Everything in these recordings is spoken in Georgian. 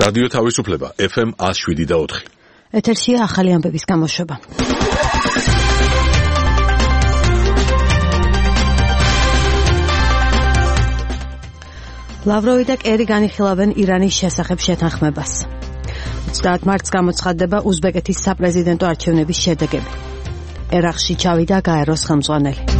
რადიო თავისუფლება FM 107.4. ეთერშია ახალი ამბების გამოშვება. ლავროვი და კერი განიხილავენ ირანის შესახებ შეთანხმებას. 30 მარტს გამოცხადდება უზბეკეთის საპრეზიდენტო არჩევნების შედეგები. ერაყში ჩავიდა გაეროს ხელმძღვანელი.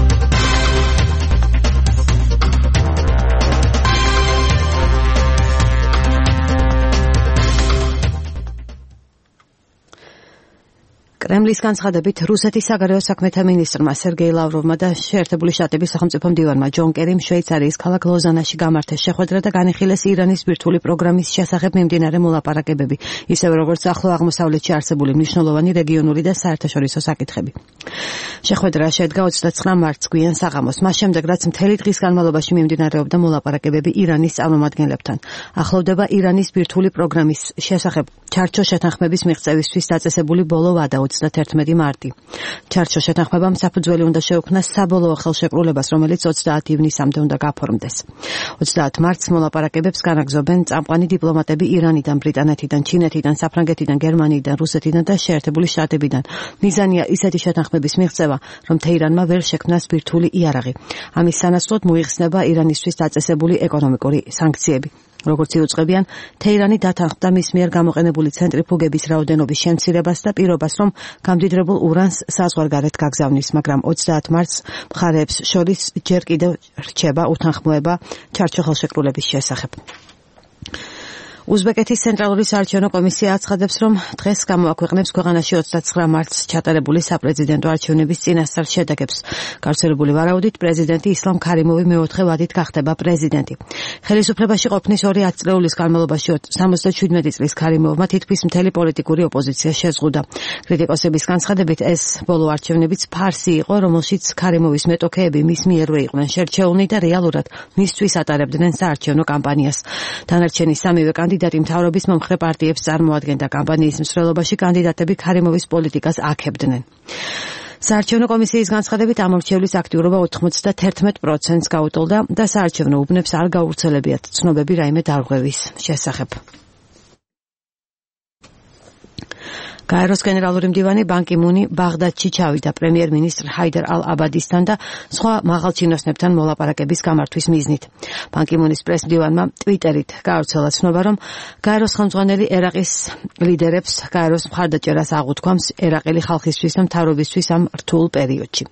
კრემლის განცხადებით რუსეთის საგარეო საქმეთა მინისტრმა სერგეი ლავროვმა და შეერთებული შტატების სახელმწიფო მდივანმა ჯონ კერიმ შვეიცარიის ქალაქ ლოზანაში გამართეს შეხვედრა და განიხილეს ირანის ბირთვული პროგრამის შესახებ მიმდინარე მოლაპარაკებები, ისევე როგორც ახლო აღმოსავლეთში არსებული მნიშვნელოვანი რეგიონული და საერთაშორისო საკითხები. შეხვედრა შედგა 29 მარტს გვიან საღამოს, მას შემდეგ რაც მთელი დღის განმავლობაში მიმდინარეობდა მოლაპარაკებები ირანის წარმომადგენლებთან. ახლოვდება ირანის ბირთვული პროგრამის შესახებ ჩარჩო შეთანხმების მიღწევისთვის დაწესებული ბოლო ვადა 31 მარტი. ჩარჩო შეთანხმებამ საფუძველი უნდა შეუქმნას საბოლოო ხელშეკრულებას, რომელიც 30 ივნისამდე უნდა გაფორმდეს. 30 მარტს მოლაპარაკებებს განაგრძობენ წამყვანი დიპლომატები ირანიდან, ბრიტანეთიდან, ჩინეთიდან, საფრანგეთიდან, გერმანიიდან, რუსეთიდან და შეერთებული შტატებიდან. მიზანია ისეთი შეთანხმების მიღწევა, რომ თეირანმა ვერ შექმნას ბირთვული იარაღი. ამის სანაცვლოდ მოიხსნება ირანისთვის დაწესებული ეკონომიკური სანქციები. როგორც იუწყებიან, თეირანი დათანხმდა მის მიერ გამოყენებული ცენტრიფუგების რაოდენობის შემცირებას და პირობას, რომ გამდიდრებულ ურანს საზღვარგარეთ გაგზავნის, მაგრამ 30 მარტს მხარეებს შორის ჯერ კიდევ რჩება უთანხმოება ჩარჩო ხელშეკრულების შესახებ. უზბეკეთის ცენტრალური საარჩევნო კომისია აცხადებს, რომ დღეს გამოაქვეყნებს ქვეყანაში 29 მარტს ჩატარებული საპრეზიდენტო არჩევნების წინასწარ შედეგებს. გავრცელებული ვარაუდით, პრეზიდენტი ისლამ ქარიმოვი მეოთხე ვადით გახდება პრეზიდენტი. ხელისუფლებაში ყოფნის 2 ათწლეულის განმავლობაში 77 წლის ქარიმოვმა თითქმის მთელი პოლიტიკური ოპოზიცია შეზღუდა. კრიტიკოსების განცხადებით, ეს ბოლო არჩევნებიც ფარსი იყო, რომელშიც ქარიმოვის მეტოქეები მის მიერვე იყვნენ შერჩეულნი და რეალურად მისთვის ატარებდნენ საარჩევნო კამპანიას. დანარჩენი სამივე კანდიდატი მთავრობის მომხრე პარტიებს წარმოადგენდა. კამპანიის მსვლელობაში კანდიდატები ქარიმოვის პოლიტიკას აქებდნენ. საარჩევნო კომისიის განცხადებით ამორჩევლის აქტიურობა 91%-ს გაუტოლდა და საარჩევნო უბნებს არ გაურცელებიათ ცნობები რაიმე დარღვევის შესახებ. გაეროს გენერალური მდივანი ბან კი მუნი ბაღდადში ჩავიდა პრემიერ-მინისტრ ჰაიდარ ალ-აბადისთან და სხვა მაღალჩინოსნებთან მოლაპარაკების გამართვის მიზნით. ბან კი მუნის პრეს-მდივანმა ტვიტერით გაავრცელა ცნობა, რომ გაეროს ხელმძღვანელი ერაყის ლიდერებს გაეროს მხარდაჭერას აღუთქვამს ერაყელი ხალხისთვის და მთავრობისთვის ამ რთულ პერიოდში.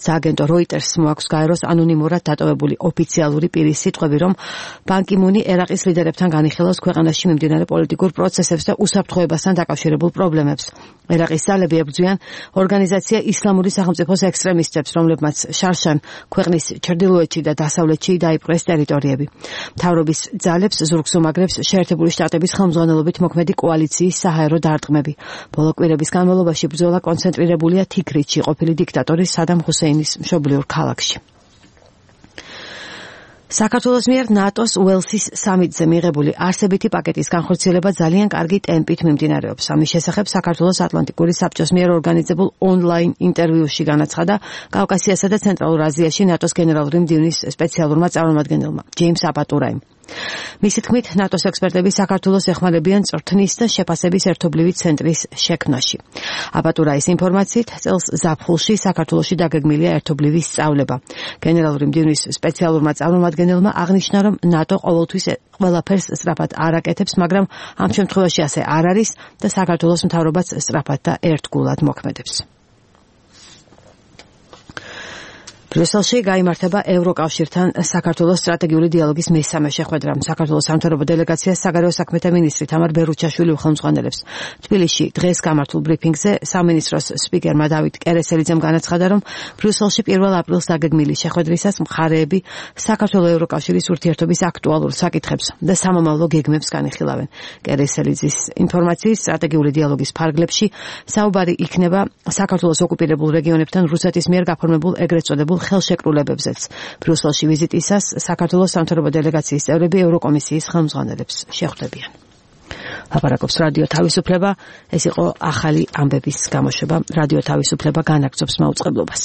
სააგენტო როიტერს მოაქვს გაეროს ანონიმურად დატოვებული ოფიციალური პირის სიტყვები, რომ ბან კი მუნი ერაყის ლიდერებთან განიხილავს ქვეყანაში მიმდინარე პოლიტიკურ პროცესებს და უსაფრთხოებასთან დაკავშირებულ პრობლემებს. ერაყის ძალები ებრძვიან ორგანიზაცია ისლამური სახელმწიფოს ექსტრემისტებს, რომლებმაც შარშან ქვეყნის ჩრდილოეთში და დასავლეთში დაიპყრეს ტერიტორიები. მთავრობის ძალებს ზურგს უმაგრებს შეერთებული შტატების ხელმძღვანელობით მოქმედი კოალიციის საჰაერო დარტყმები. ბოლო კვირების განმავლობაში ბრძოლა კონცენტრირებულია თიქრითში, ყოფილი დიქტატორის სადამ ჰუსეინის მშობლიურ ქალაქში. საქართველოს მიერ ნატოს უელსის სამიტზე მიღებული არსებითი პაკეტის განხორციელება ძალიან კარგი ტემპით მიმდინარეობს. ამის შესახებ საქართველოს ატლანტიკური საბჭოს მიერ ორგანიზებულ ონლაინ ინტერვიუში განაცხადა კავკასიასა და ცენტრალურ აზიაში ნატოს გენერალური მდივნის სპეციალურმა წარმომადგენელმა ჯეიმს აპატურაიმ. მისი თქმით, ნატოს ექსპერტები საქართველოს ეხმარებიან წვრთნის და შეფასების ერთობლივი ცენტრის შექმნაში. აპატურაის ინფორმაციით, წელს ზაფხულში საქართველოში დაგეგმილია ერთობლივი სწავლება. გენერალური მდივნის სპეციალურმა წარმომადგენელმა აღნიშნა, რომ ნატო ყოველთვის ყველაფერს სწრაფად არ აკეთებს, მაგრამ ამ შემთხვევაში ასე არ არის და საქართველოს მთავრობაც სწრაფად და ერთგულად მოქმედებს. ბრიუსელში გაიმართება ევროკავშირთან საქართველოს სტრატეგიული დიალოგის მესამე შეხვედრა. საქართველოს სამთავრობო დელეგაციას საგარეო საქმეთა მინისტრი თამარ ბერუჩაშვილი უხელმძღვანელებს. თბილისში დღეს გამართულ ბრიფინგზე სამინისტროს სპიკერმა დავით კერესელიძემ განაცხადა, რომ ბრიუსელში 1 აპრილს დაგეგმილი შეხვედრისას მხარეები საქართველოს-ევროკავშირის ურთიერთობის აქტუალურ საკითხებს და სამომავლო გეგმებს განიხილავენ. კერესელიძის ინფორმაციით, სტრატეგიული დიალოგის ფარგლებში საუბარი იქნება საქართველოს ოკუპირებულ რეგიონებთან რუსეთის მიერ გაფორმებულ ეგრეთ წოდებულ ხელშეკრულებებზეც. ბრიუსელში ვიზიტისას საქართველოს სამთავრობო დელეგაციის წევრები ევროკომისიის ხელმძღვანელებს შეხვდებიან. ლაპარაკობს რადიო თავისუფლება. ეს იყო ახალი ამბების გამოშვება. რადიო თავისუფლება განაგრძობს მაუწყებლობას.